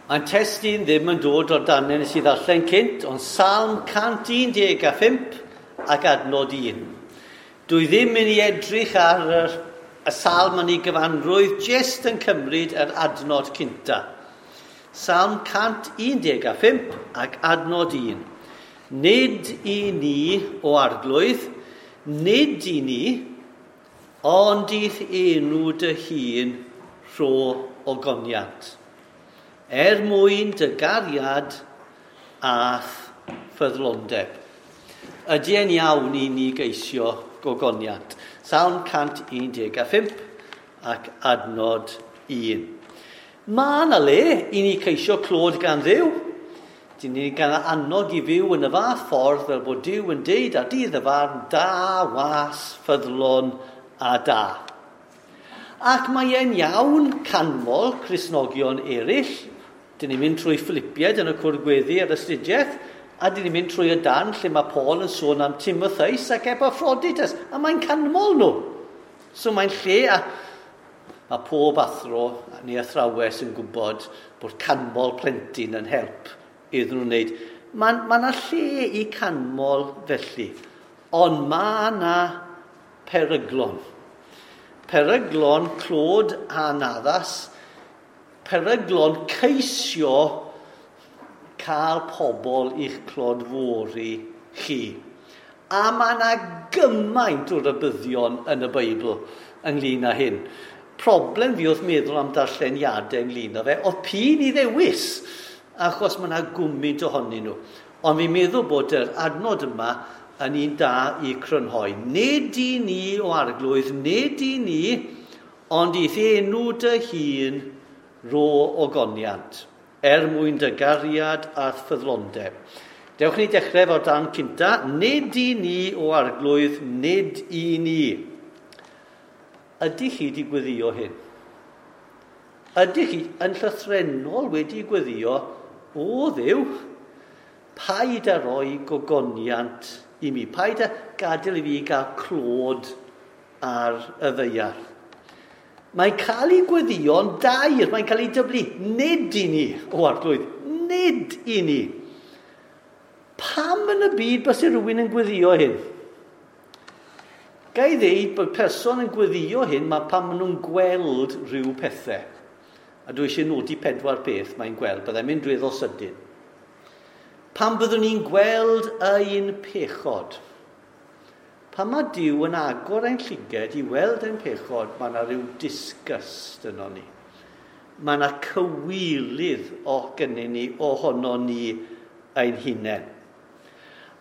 Mae'n testun ddim yn dod o'r darnau nes i ddarllen cynt, ond Salm 115 ac adnod 1. Dwi ddim yn ei edrych ar yr, y salm yn ei gyfanrwydd, jyst yn cymryd yr adnod cynta. Salm 115 ac adnod 1. Nid i ni o arglwydd, nid i ni, ond i'th enw dy hun rho ogoniant er mwyn dy gariad a'th ffyddlondeb. Ydy e'n iawn i ni geisio gogoniant? Salm 115 ac adnod 1. Mae yna le i ni ceisio clod gan Dduw. Dyn ni'n gael annog i fyw yn y fath ffordd fel bod Duw yn deud ar dydd y farn da, was, ffyddlon a da. Ac mae e'n iawn canmol Cristnogion eraill. Dyn ni'n mynd trwy Philippiaid yn y cwr gweddi ar astudiaeth, a dyn ni'n mynd trwy y dan lle mae Paul yn sôn am Timotheus ac Epaphroditus, a mae'n canmol nhw. So mae'n lle a mae pob athro neu athrawes yn gwybod bod canmol plentyn yn help iddyn nhw'n wneud. Mae ma yna lle i canmol felly, ond mae yna peryglon. Peryglon clod anaddas, peryglon ceisio cael pobl i'ch clodfori chi. A mae yna gymaint o rybuddion yn y Beibl ynglyn â hyn. Problem fi oedd meddwl am darlleniadau ynglyn â fe, oedd pyn i ddewis, achos mae yna gwmynt ohonyn nhw. Ond fi'n meddwl bod yr adnod yma yn un da i crynhoi. Nid i ni o arglwydd, nid i ni, ond i'th enw dy hun ro ogoniant, er mwyn dy gariad a ffyddlondeb. Dewch ni dechrau efo'r dan cynta. Nid i ni o arglwydd, nid i ni. Ydych chi wedi gweddio hyn? Ydych chi yn llythrennol wedi gweddio, o Dduw, paid â roi gogoniant i mi. Paid â gadael i fi gael clod ar y ddaear. Mae'n cael ei gweddio'n dair, mae'n cael ei dyblu. Nid i ni, o arglwydd, nid i ni. Pam yn y byd bys rhywun yn gweddio hyn? Ga i ddeud bod person yn gweddio hyn mae pan maen nhw'n gweld rhyw pethau. A dwi eisiau nodi pedwar peth mae'n gweld, byddai'n mynd weddol sydyn. Pan byddwn ni'n gweld ein pechod, pan mae Duw yn agor ein llyged i weld ein pechod, mae yna rhyw disgust yno ni. Mae yna cywilydd o gynnyn ni, ohono ni ein hunain.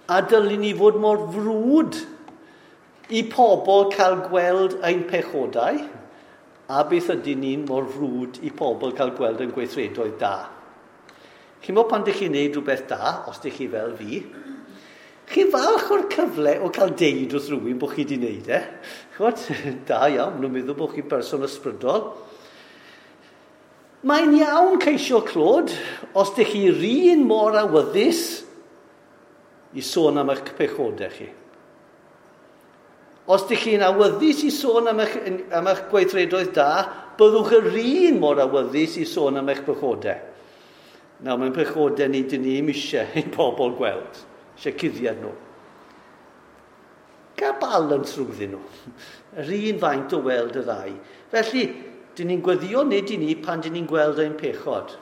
A dylwn ni fod mor frwd i pobl cael gweld ein pechodau, a beth ydyn ni'n mor frwd i pobl cael gweld ein gweithredoedd da. Chi'n meddwl pan dych chi'n neud rhywbeth da, os dych chi fel fi, chi'n falch o'r cyfle o cael deud wrth rhywun bod chi wedi wneud e. Ch'mod, da iawn, maen nhw'n meddwl bod chi'n berson ysbrydol. Mae'n iawn ceisio clod os dych chi'r un mor awyddus i sôn am eich pechodau chi. Os dych chi'n awyddus i sôn am eich, am eich gweithredoedd da, byddwch yr un mor awyddus i sôn am eich pechodau. Nawr, mae'n pechodau ni, dyn ni ddim eisiau i bobl gweld. Eisiau cuddiad nhw. Gael balans rhwngddyn nhw. Yr un faint o weld y ddau. Felly, dyn ni'n gweddio nid i ni pan dyn ni'n gweld ein pechod.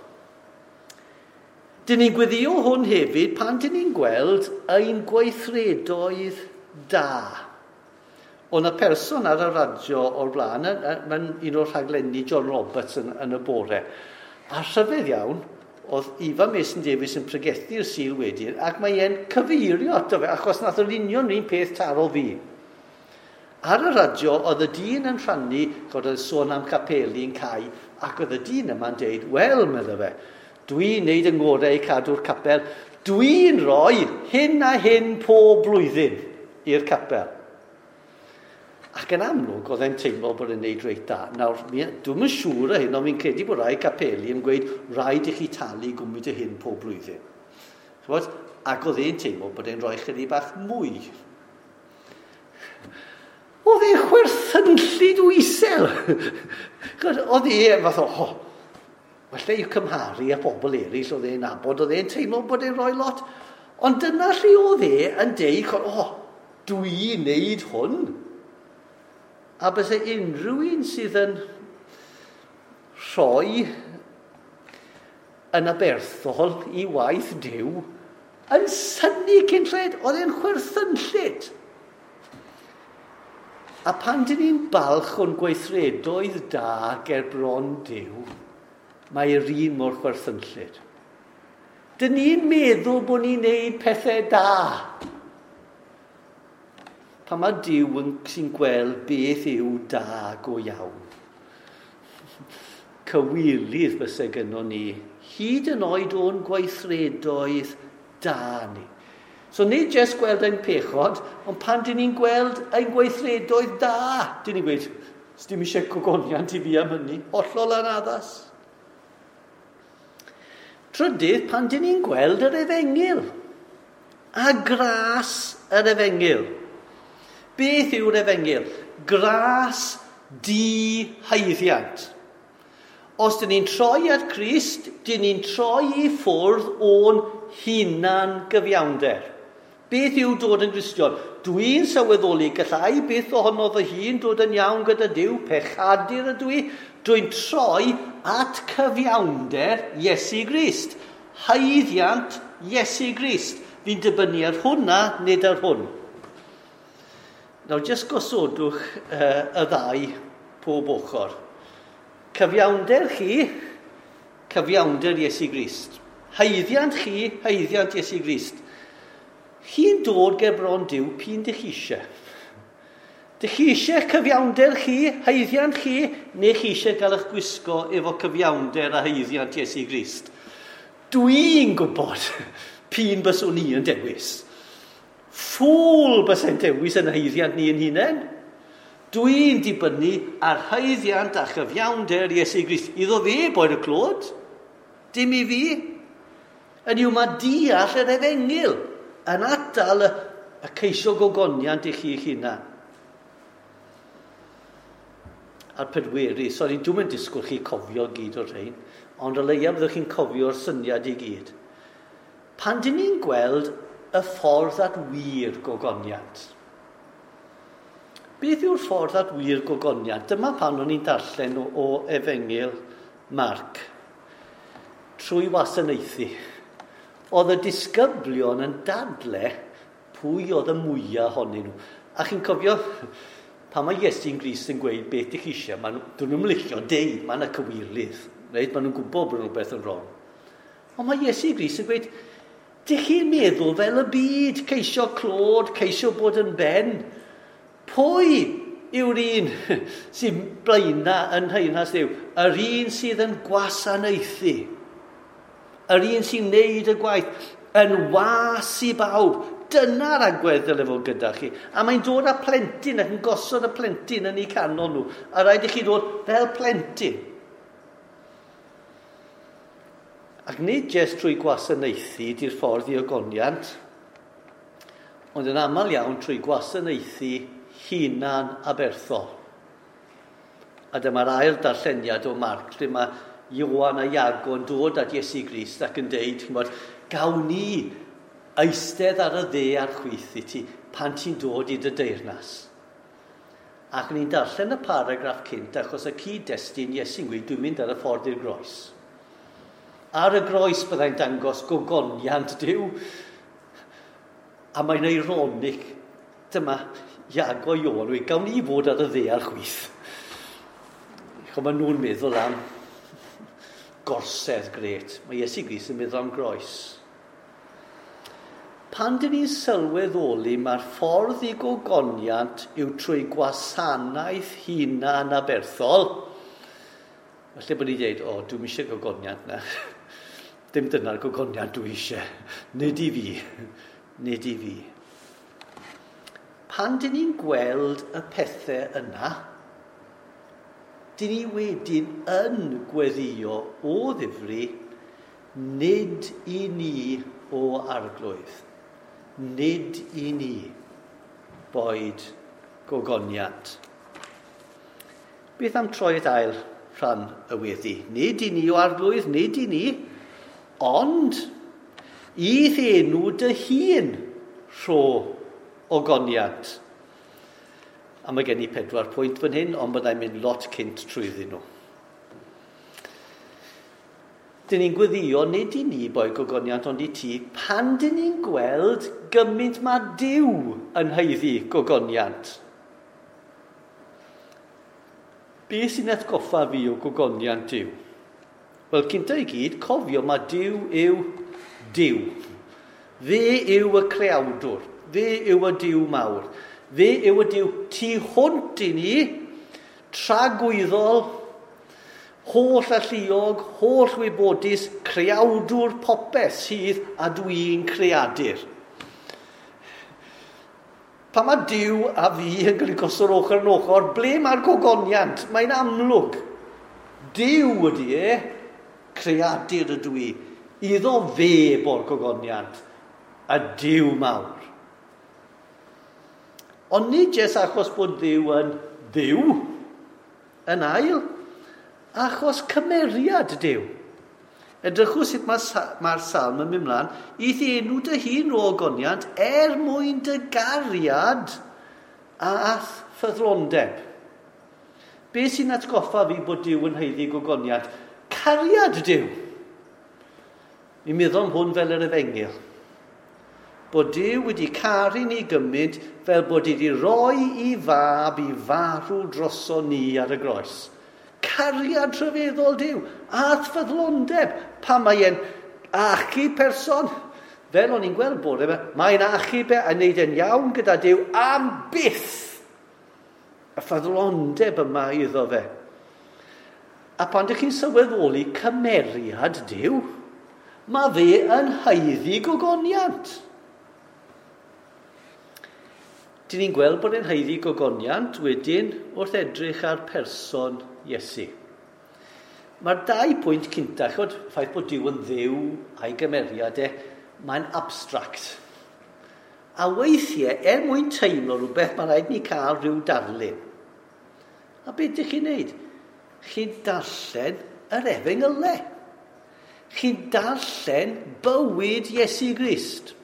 Dyn ni'n gweddio hwn hefyd pan dyn ni'n gweld ein gweithredoedd da. Oedd yna person ar y radio o'r blaen, mae'n un o'r rhaglenni John Roberts yn, yn y bore. A rhyfedd iawn, oedd Ifan Mason Davies yn pregethu'r Sul wedyn, ac mae e'n cyfeirio ato fe, achos nath o'n union un peth taro fi. Ar y radio, oedd y dyn yn rhannu, chod oedd sôn am capeli yn cau, ac oedd y dyn yma'n deud, wel, medda fe, dwi'n neud yng ngorau i cadw'r capel, dwi'n rhoi hyn a hyn pob blwyddyn i'r capel. Ac yn amlwg, oedd e'n teimlo bod e'n neud reit da. Nawr, dwi'm yn siŵr o hyn, ond fi'n credu bod rai capeli yn gweud rhaid i chi talu gwmwyd y hyn pob blwyddyn. Ch'mod? Ac oedd e'n teimlo bod e'n rhoi chydig bach mwy. Oedd e'n chwerthynllyd o isel. Ch'mod, oedd e fath o, oh, Falle i'w cymharu â pobl eraill oedd e'n nabod, oedd e'n teimlo bod e'n rhoi lot. Ond dyna lle oedd e yn deud, o, oh, dwi'n neud hwn. A byse unrhyw un sydd yn rhoi yn aberthol i waith Duw yn synnu cyn lled, oedd e'n chwerthynllyd. A pan dyn ni'n balch o'n gweithredoedd da ger bron Duw, mae'r un mor chwerthynllyd. Dyn ni'n meddwl bod ni'n neud pethau da. Pan mae Duw yn, sy'n gweld beth yw da go iawn. Cywilydd fysa gynnon ni, hyd yn oed o'n gweithredoedd da ni. So nid jyst gweld ein pechod, ond pan dyn ni'n gweld ein gweithredoedd da, dyn ni'n gweud, dim eisiau gogoniant i fi am hynny, hollol anaddas. Trydydd, pan dyn ni'n gweld yr efengyl a gras yr efengyl. Beth yw'r efengyl? Gras di-haeddiant. Os dyn ni'n troi at Crist, dyn ni'n troi i ffwrdd o'n hunan gyfiawnder. Beth yw dod yn Gristion? Dwi'n sylweddoli gallai byth ohono fy hun dod yn iawn gyda Duw, pechadur ydw i. Dwi'n troi at cyfiawnder Iesu Grist. Haeddiant Iesu Grist. Fi'n dibynnu ar hwnna, nid ar hwn. Nawr, jyst gosodwch y ddau pob ochr. Cyfiawnder chi, cyfiawnder Iesu Grist. Haeddiant chi, haeddiant Iesu Grist. Chi'n dod ger bron Duw p'un dych chi eisiau. Dych chi eisiau cyfiawnder chi, haeddiant chi, neu chi eisiau gael eich gwisgo efo cyfiawnder a haeddiant Iesu Grist? Dwi'n gwybod p'un byswn i yn dewis. Ffŵl bysau'n dewis yn haeddiant ni yn hunain. Dwi'n dibynnu ar haeddiant a chyfiawnder Iesu Grist. Iddo fe boed y clod, dim i fi. Yn yw mae deall yr efengyl yn atal y ceisio gogoniant i chi eich hunan. A'r pedwerydd, sori, dwi'n mynd disgwyl chi cofio gyd o'r rhain, ond o leia byddwch chi'n cofio'r syniad i gyd. Pan dyn ni'n gweld y ffordd at wir gogoniant. Beth yw'r ffordd at wir gogoniant? Dyma pan o'n i'n darllen o Efengyl Marc. Trwy wasanaethu. Oedd y disgyblion yn dadle pwy oedd y mwyaf ohonyn nhw. A chi'n cofio, pan mae Iesu'n Grist yn gweud beth ych chi eisiau, dyn nhw'n licio deud, mae yna cywilydd. Reit? Maen nhw'n gwybod bod rhywbeth yn wrong. Ond mae Iesu Grist yn gweud, dych chi'n meddwl fel y byd, ceisio clod, ceisio bod yn ben. Pwy yw'r un sy'n blaena yn nheyrnas Dduw? Yr un sydd yn gwasanaethu. Yr un sy'n neud y gwaith yn was i bawb. Dyna'r agwedd dyle fod gyda chi. A mae'n dod â plentyn ac yn gosod y plentyn yn eu canol nhw. A rhaid i chi ddod fel plentyn. Ac nid jyst trwy gwasanaethu di'r ffordd i ogoniant, ond yn aml iawn trwy gwasanaethu hunan aberthol. A dyma'r ail darlleniad o Marc, lle mae Ioan a Iago yn dod at Iesu Grist ac yn deud, ch'mod, gawn ni eistedd ar y dde a'r chwith i ti pan ti'n dod i dy deyrnas. Ac ni'n darllen y paragraff cynt achos y cyd-destun Iesu'n gweud, dwi'n mynd ar y ffordd i'r groes. Ar y groes byddai'n dangos gogoniant Duw. A mae'n eironig, dyma Iago Ioan, gawn ni fod ar y dde a'r chwith. Ch'mo, maen nhw'n meddwl am gorsedd gret. Mae Iesu Grist yn meddwl am groes. Pan dyn ni'n sylweddoli mae'r ffordd i gogoniant yw trwy gwasanaeth hunan aberthol, falle bod ni'n dweud, o, dwi'm eisiau gogoniant na. Dim dyna'r gogoniant dwi eisiau. Nid i fi. Nid i fi. Pan dyn ni'n gweld y pethau yna, dyn ni wedyn yn gweddio o ddifri, nid i ni o arglwydd. Nid i ni boed gogoniant. Beth am troi at ail rhan y weddi. Nid i ni o arglwydd, nid i ni, ond i'th enw dy hun rho ogoniant. A mae gen i 4 pwynt fan hyn, ond byddai'n mynd lot cynt trwyddyn nhw. Dyn ni'n gweddio nid i ni boi gogoniant, ond i ti, pan dyn ni'n gweld gymaint mae Duw yn haeddu gogoniant. Be sy'n atgoffa fi o gogoniant Duw? Wel, cynta i gyd, cofio mae Duw yw Duw. Fe yw y creawdwr. Fe yw y Duw mawr. Fe yw y Duw tu hwnt i ni, tragwyddol, holl alluog, holl wybodus, creawdwr popeth sydd a dwi'n creadur. Pan mae Duw a fi yn cael ei gosod ochr yn ochr, ble mae'r gogoniant? Mae'n amlwg. Duw ydy e, creadur ydw i. Iddo fe bo'r gogoniant, y Duw mawr. Ond nid jyst achos bod Duw yn Dduw, yn ail, achos cymeriad Duw. Edrychwch sut mae'r salm yn mynd mlaen, i'th enw dy hun o ogoniant er mwyn dy gariad a'th ffyddlondeb. Be sy'n atgoffa fi bod Duw yn haeddu gogoniant? Cariad Duw. Mi'n meddwl am hwn fel yr efengyl. Bod Duw wedi caru ni gymaint fel bod wedi rhoi i fab i farw droso ni ar y groes. Cariad rhyfeddol Duw, a'th ffyddlondeb, pan mae e'n achub person, fel o'n i'n gweld bore yma, mae'n achub e a wneud e'n iawn gyda Duw am byth. Y ffyddlondeb yma iddo fe. A pan ydych chi'n sylweddoli cymeriad Duw, mae fe yn haeddu gogoniant. Dyn ni'n gweld bod e'n haeddu gogoniant wedyn wrth edrych ar person Iesu. Mae'r 2 pwynt cynta, ch'mod, ffaith bod Duw yn Dduw a'i gymeriad e, mae'n abstract. A weithiau, er mwyn teimlo rhywbeth, mae'n rhaid ni cael rhyw darlun. A beth ydych chi'n neud? Chi'n darllen yr efengylau. Chi'n darllen bywyd Iesu Grist.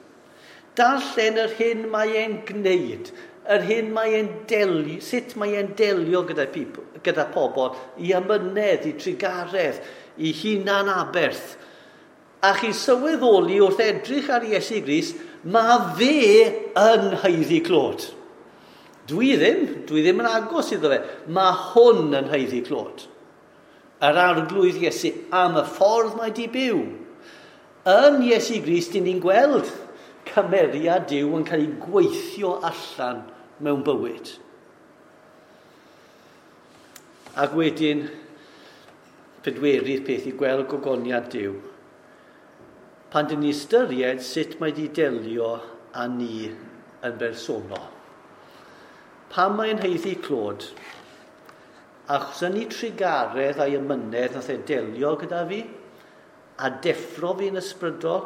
Darllen yr hyn mae e'n gwneud, yr hyn mae e'n delio, sut mae e'n delio gyda pobl, i amynedd, i trugaredd, i hunan aberth. A chi sylweddoli wrth edrych ar Iesu Grist, mae fe yn haeddu clod. Dwi ddim yn agos iddo fe. Mae hwn yn haeddu clod. Yr arglwydd Iesu am y ffordd mae di byw. Yn Iesu Grist, dyn ni'n gweld cymeriad Duw yn cael ei gweithio allan mewn bywyd. Ac wedyn, pedwerydd peth i gweld gogoniant Duw. Pan dyn ni ystyried sut mae di delio â ni yn bersonol. Pan mae'n haeddu clod, achos yn ei trugaredd a'i amynedd nath e delio gyda fi, a deffro fi'n ysbrydol,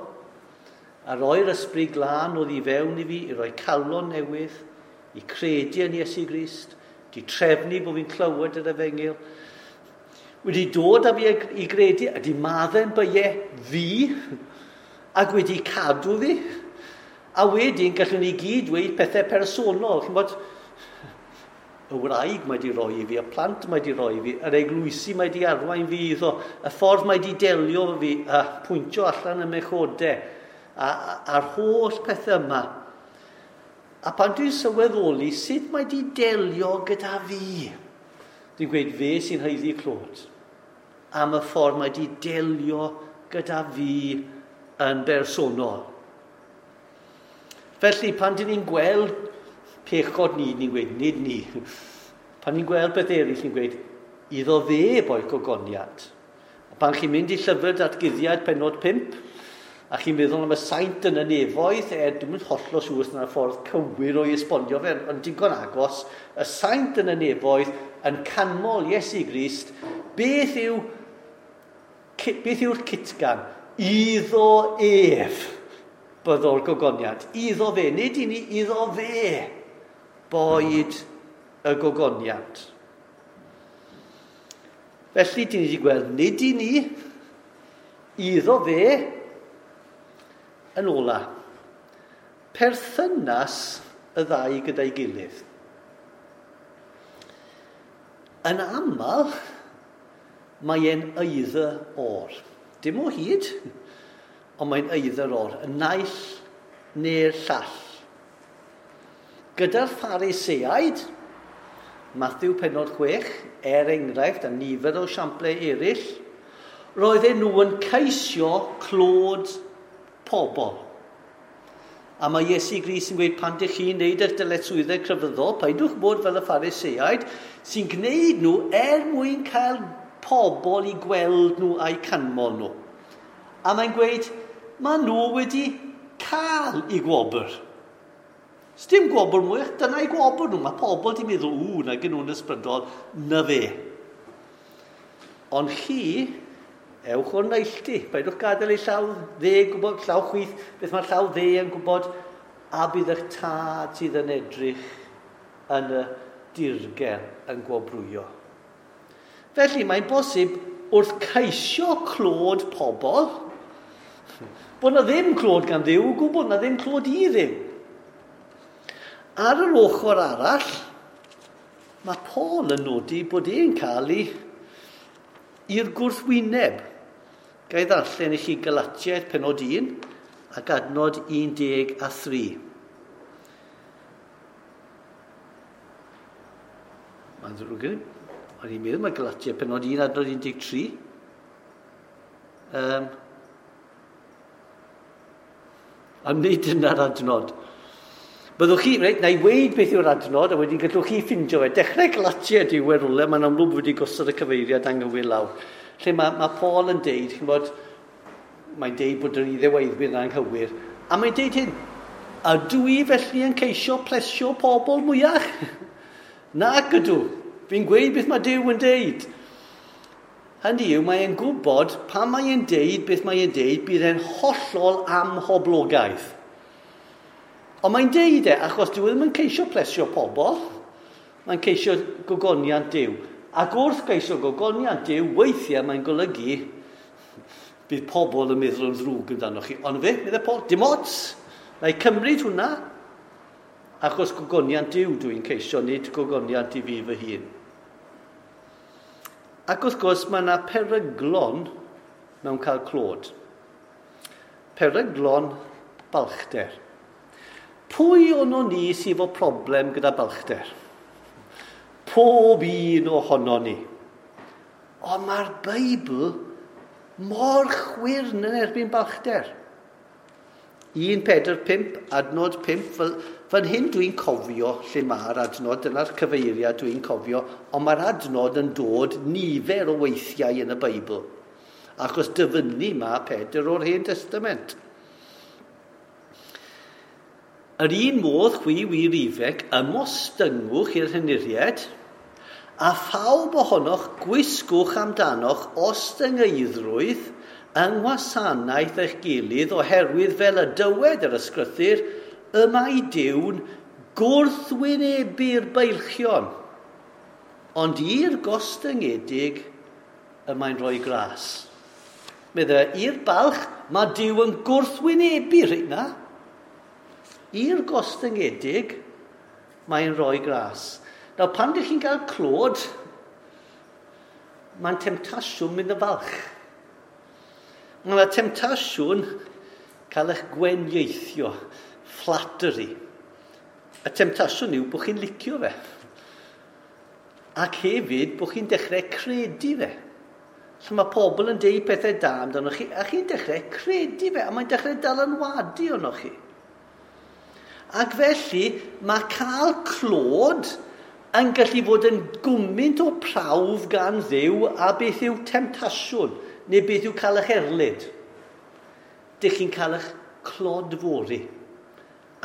a roi'r ysbryd glân oedd i fewn i fi, i roi calon newydd, i credu yn Iesu Grist, di trefnu bod fi'n clywed yr efengyl, wedi dod â fi i gredu, a di maddau'n byau fi, ac wedi cadw fi, a wedyn gallwn ni gyd dweud pethau personol. Chi'n bod, y wraig mae di roi i fi, y plant mae di roi i fi, yr eglwysi mae di arwain fi iddo, y ffordd mae di delio fi, a pwyntio allan y mechodau, a'r holl pethau yma. A pan dwi'n sylweddoli sut mae di delio gyda fi, dwi'n gweud fe sy'n haeddu clod, am y ffordd mae di delio gyda fi yn bersonol. Felly, pan dyn ni'n gweld pechod ni, ni'n gweud, nid ni. Pan ni'n gweld beth eraill, ni'n gweud, iddo fe boi gogoniant. A pan chi'n mynd i llyfr datguddiad pennod 5, a chi'n meddwl am y saint yn y nefoedd, dwi'm yn hollol siŵr os yna'r ffordd cywir o'i esbonio fe, ond digon agos, y saint yn y nefoedd yn canmol Iesu Grist, beth yw'r cytgan? Iddo ef byddo'r gogoniant. Iddo fe, nid i ni, iddo fe boed y gogoniant. Felly, dyn ni wedi gweld nid i ni, iddo fe, yn ola. Perthynas y ddau gyda'i gilydd. Yn aml, mae e'n either or. Dim o hyd, ond mae'n either or. Y naill neu'r llall. Gyda'r Phariseaid, Matthew penod 6, er enghraifft, a nifer o siamplau eraill, roedden nhw yn ceisio clod pobl. A mae Iesu Grist yn gweud pan dych chi'n neud eich dyletswyddau crefyddol, paidwch bod fel y Phariseaid, sy'n gwneud nhw er mwyn cael pobl i gweld nhw a'u canmol nhw. A mae'n gweud, mae nhw wedi cael eu gwobr. Sdim gwobr mwy, dyna'i gwobr nhw. Mae pobl wedi meddwl, ww, na gen nhw'n ysbrydol, na fe. Ond chi, ewch o'r neilltu. Paidwch gadael ei llaw dde gwybod, llaw chwith, beth mae'r llaw dde yn gwybod, a bydd eich tad sydd yn edrych yn y dirgel yn gwobrwyo. Felly mae'n bosib wrth ceisio clod pobl, bod na ddim clod gan Dduw o gwbl, na ddim clod i Dduw. Ar yr ochr arall, mae Paul yn nodi bod e'n cael ei i'r gwrthwyneb. Ga i ddarllen i chi Galatiaid penod 1 ac adnod 13. Mae'n ddrwg gen i. O'n i'n meddwl mae Galatiaid penod 1 adnod 13. Ond nid dyna'r adnod. Byddwch chi, reit, na i weud beth yw'r adnod, a wedyn gallwch chi ffindio fe. Dechrau Galatiaid yw e rwle, mae'n amlwg wedi gosod y cyfeiriad anghywir lawr. Lle mae Paul yn deud, chi'n bod, mae'n deud bod yr iddeweiddwyr yn anghywir, a mae'n deud hyn, ydw i felly yn ceisio plesio pobl mwyach? Nac ydw, fi'n gweud beth mae Duw yn deud. Hynny yw, mae'n gwybod pan mae'n deud beth mae'n deud, bydd e'n hollol amhoblogaidd. Ond mae'n deud e, achos dyw e ddim yn ceisio plesio pobl, mae'n ceisio gogoniant Duw. Ac wrth geisio gogoniant Duw, weithiau mae'n golygu bydd pobl yn meddwl yn ddrwg amdanoch chi. Ond fe, meddai Paul, dim ots, na i cymryd hwnna, achos gogoniant Duw dwi'n ceisio, nid gogoniant i fi fy hun. Ac wrth gwrs, mae yna peryglon mewn cael clod. Peryglon balchder. Pwy ono ni sydd efo problem gyda balchder? Pob un ohono ni. Ond mae'r Beibl mor chwyrn yn erbyn balchder. 1 Pedr 5, adnod 5, fel, fan hyn dwi'n cofio lle mae'r adnod, dyna'r cyfeiriad dwi'n cofio, ond mae'r adnod yn dod nifer o weithiau yn y Beibl. Achos dyfynnu mae Pedr o'r Hen Testament. Yr un modd chwi wir ifanc ymostyngwch i'r henuriaid, a phawb ohonoch gwisgwch amdanoch ostyngeiddrwydd yng ngwasanaeth eich gilydd, oherwydd fel y dywed yr ysgrythur, y mae Duw'n gwrthwynebu'r beilchion, ond i'r gostyngedig y mae'n rhoi gras. Meddai, i'r balch, mae Duw yn gwrthwynebu rheina. I'r gostyngedig, mae'n rhoi gras. Nawr, pan ydych chi'n cael clod, mae'n temtasiwn mynd yn falch. Mae yna temtasiwn cael eich gwenieithio, flattery. Y temtasiwn yw bod chi'n licio fe. Ac hefyd bod chi'n dechrau credu fe. So mae pobl yn deud pethau da amdano chi, a chi'n dechrau credu fe, a mae'n dechrau dylanwadu arnoch chi. Ac felly, mae cael clod yn gallu fod yn gwmynt o prawf gan Dduw a beth yw temtasiwn, neu beth yw cael eich erlid. Dych chi'n cael eich clodfori,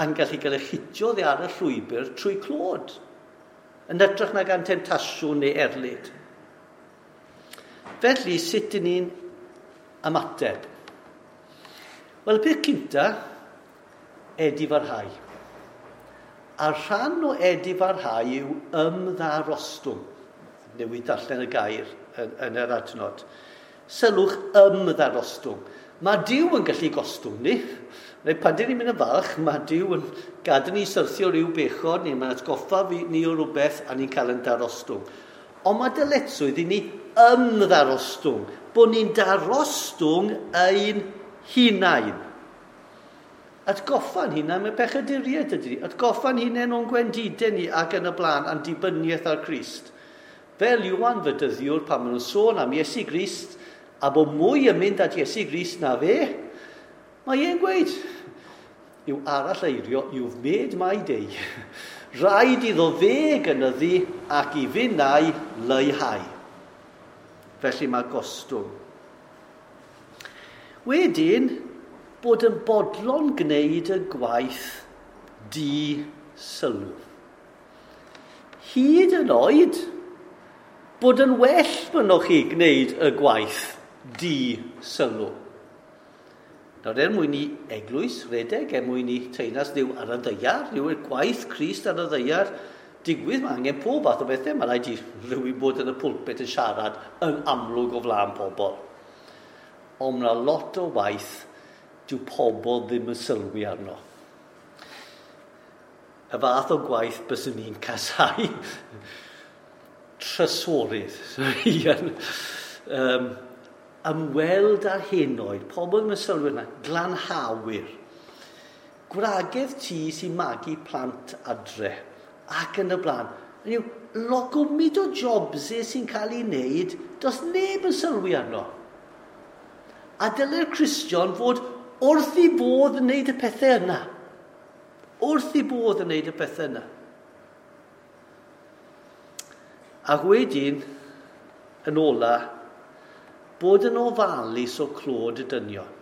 a'n gallu cael eich hitio ddi ar y llwybr trwy clod, yn hytrach na gan temtasiwn neu erlid. Felly, sut dyn ni'n ymateb? Wel, y peth cynta, edifarhau. A rhan o edifarhau yw ymddarostwng. Newid darllen y gair yn yr adnod. Sylwch ymddarostwng. Mae Duw yn gallu gostwng ni. Neu pan dyn ni'n mynd yn falch, mae Duw yn gadael ni syrthio rhyw bechod, neu mae'n atgoffa ni o rhywbeth a ni'n cael yn darostwng. Ond mae dyletswydd i ni ymddarostwng, bod ni'n darostwng ein hunain. Atgoffa'n hunain mae pechaduriaid ydy ni. Atgoffa'n hunain o'n gwendidau ni ac yn y blaen a'n dibyniaeth ar Crist. Fel Iwan Fydyddiwr pan maen nhw'n sôn am Iesu Grist a bod mwy yn mynd at Iesu Grist na fe, mae e'n gweud, yw arall eirio, you've made my day. Rhaid iddo fe gynyddu ac i finnau leihau. Felly mae gostwng. Wedyn, bod yn bodlon gwneud y gwaith di-sylw. Hyd yn oed, bod yn well bynnwch chi gwneud y gwaith di-sylw. Nawr, er mwyn i eglwys redeg, er mwyn i teyrnas Dduw ar y ddaear, yw'r gwaith Crist ar y ddaear, digwydd, mae angen pob fath o bethau. Mae rhaid i rhywun bod yn y pulpit yn siarad yn amlwg o flaen pobl. Ond mae lot o waith dyw pobl ddim yn sylwi arno. Y fath o gwaith byswn ni'n casau. Trysorydd. Ymweld â'r henoed, pobl ddim yn sylwi arno, glanhawyr. Gwragedd tŷ sy'n magu plant adre ac yn y blaen. Hynny yw, logwmid o jobs sy'n cael ei wneud, does neb yn sylwi arno. A dylai'r Cristion fod wrth i bodd yn wneud y pethau yna. Wrth i bodd yn wneud y pethau yna. Ac wedyn, yn ola, bod yn ofalus o clod y dynion.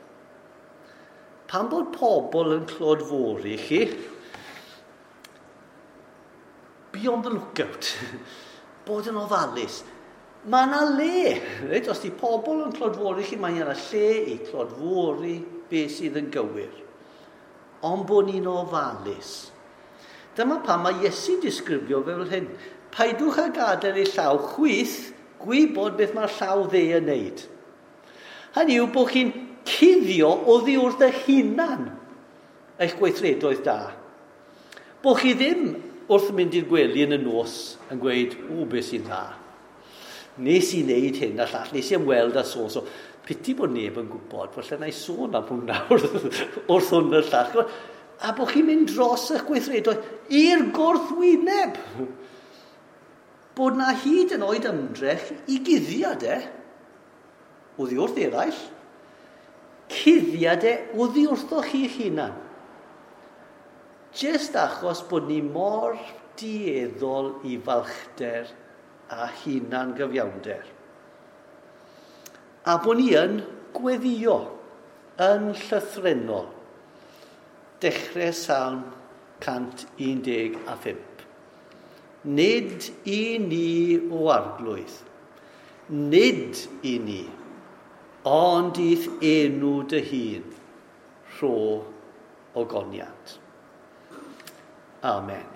Pan bod pobl yn clodfori chi, be on the lookout. Bod yn ofalus. Mae yna le. Reit? Os di pobl yn clodfori chi, mae yna lle i clodfori beth sydd yn gywir. Ond bod ni'n ofalus. Dyma pam mae Iesu'n disgrifio fel hyn. Paidwch â gadael ei llaw chwith gwybod beth mae'r llaw dde yn neud. Hynny yw bod chi'n cuddio oddi wrth eich hunan eich gweithredoedd da. Bod chi ddim wrth mynd i'r gwely yn y nos yn gweud, o, beth sy'n dda. Nes i wneud hyn a llall, nes i ymweld â so, so. Piti bod neb yn gwybod, falle na i sôn am hwnna wrth hwn y llall. A bod chi'n mynd dros eich gweithredoedd i'r gwrthwyneb. Bod na hyd yn oed ymdrech i guddiad e, oddi wrth eraill, cuddiad e oddi wrthoch chi'ch hunan. Jyst achos bod ni mor dueddol i falchder a hunan gyfiawnder. A bod ni yn gweddio, yn llythrennol. Dechrau Salm 115. Nid i ni o arglwydd, nid i ni, ond i'th enw dy hun, rho ogoniant. Amen.